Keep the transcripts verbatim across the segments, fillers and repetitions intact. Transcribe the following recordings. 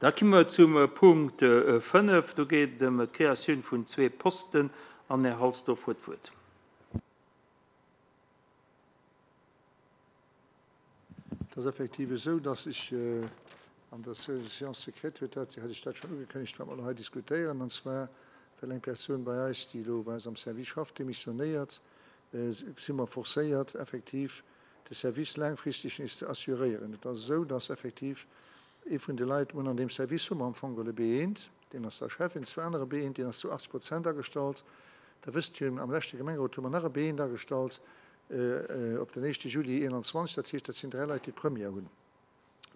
Da komme mer zum Punkt fënnef. Do geet et ëm d'Kreatioun vun zwee Posten. An den Här Halsdorf huet d'Wuert. Et ass effektiv esou, dass ech an der Séance secrète huet dat, hat ech dat schonn ugekënnegt, wat mer elo hei diskutéieren, an zwar well eng Persoun bei eis, déi elo bei eis am Service schafft, demissionéiert, si mer forcéiert, effektiv de Service laangfristeg nees ze assuréieren. Et ass esou, dass effektiv ee vun de Leit, mir hunn an deem Service hu mer am Fong geholl e B eent, deen ass da Chef, een zwee anere B eent, deen ass zu achtzeg Prozent agestallt. Da wësst Dir, am leschte Gemengerot hu mer nach e B eent agestallt op den éischte Juli eenanzwanzeg. Dat heescht, dat sinn dräi Leit, déi d'Première hunn.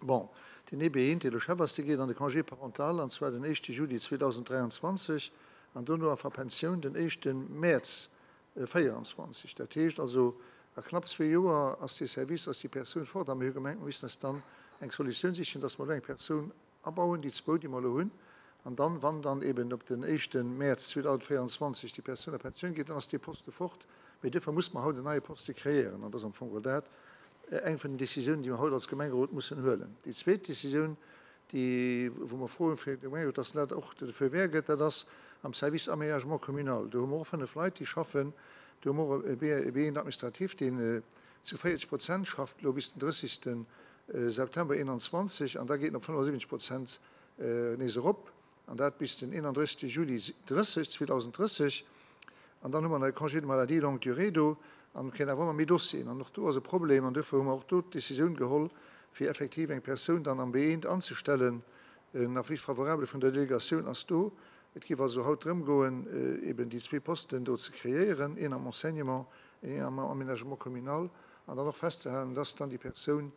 Bon, deen ee B eent, dee elo Chef ass, dee geet an de Congé parental, an zwar den éischte Juli zweedausenddräianzwanzeg an dono a Pensioun den éischte Mäerz véieranzwanzeg. Dat heescht also, a knapp zwee Joer ass dee Service, ass déi Persoun fort. A mir hu gemengt, mir missten eis dann eng Solutioun sichen, dass mer elo eng Persoun abauen, déi zwou, déi mer elo hunn, an dann, wann dann eben op den éischte Mäerz zweedausenvéieranzwanzeg déi Persoun a Pensioun geet, dann ass dee Poste fort. Mee duerfir muss mer haut en neie Poste kreéieren. An dat ass am Fong geholl dat eng vun den Décisiounen, déi mer haut als Gemengerot mussen huelen. Déi zweet Décisioun, déi, wou mer froen fir de Gemengerot, dass en dat och de Feu vert gëtt, dat ass am Service Aménagement communal. Do hu mer och fënnef Leit, déi schaffen. Do hu mer och e B un administratif, deen zu véierzeg Prozent schafft elo bis den drëssigste September eenanzwanzeg an da geet en op fënnefasiwwenzeg Prozent nees erop, an dat bis den eenandrëssigste Juli drësseg, zweedausenddrësseg. An dann hu mer nach e Congé de maladie longue durée do an kréien awer ëmmer méi Dossieren. An och do ass e Problem an duerfir hu mer och do d'Décisioun geholl, fir effektiv eng Persoun dann am B eent anzestellen. En Avis favorable vun der Delegatioun ass do. Et géif also haut drëm goen, eben déi zwee Posten do ze kreéieren, een am Enseignement, een am Aménagement communal, an dann och festzehalen, dass dann déi Persoun,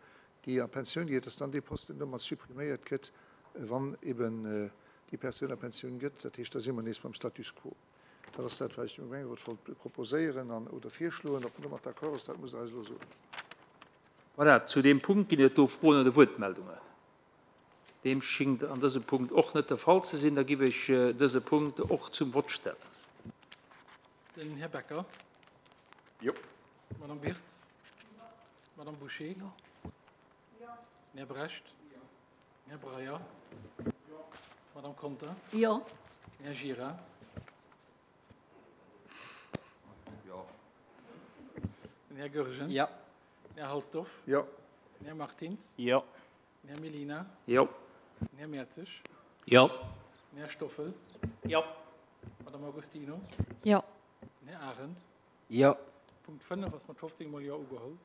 déi a Pensioun geet, dass dann dee Posten domat suppriméiert gëtt, wann eben déi Persoun a Pensioun gëtt. Dat heescht, da si mer nees beim Status quo. Dat ass dat, wat ech dem Gemengerot wollt proposéieren an oder virschloen. Ob en domat d'accord ass, dat musst Der eis elo soen. Voilà, zu deem Punkt ginn et do Froen oder Wuertmeldungen. Deem schingt an dësem Punkt och net de Fall ze sinn. Da giff ech dëse Punkt och zum Vott stellen. Den Här Becker. Jo. D'Madame Wirtz. D'Madame Bouché. Jo. Den Här Brecht. Jo. Den Här Breyer. Jo. D'Madame Conter. Jo. Den Här Gira. Jo. Den Här Goergen. Jo. Den Här Halsdorf. Jo. Den Här Martins. Jo. Den Här Mellina. Jo. Den Här Mertzig. Jo. Den Här Stoffel. Jo. D'Madame Agostino. Jo. Den Här Arendt. Jo. Punkt fënnef ass mat fofzéng mol Jo ugeholl.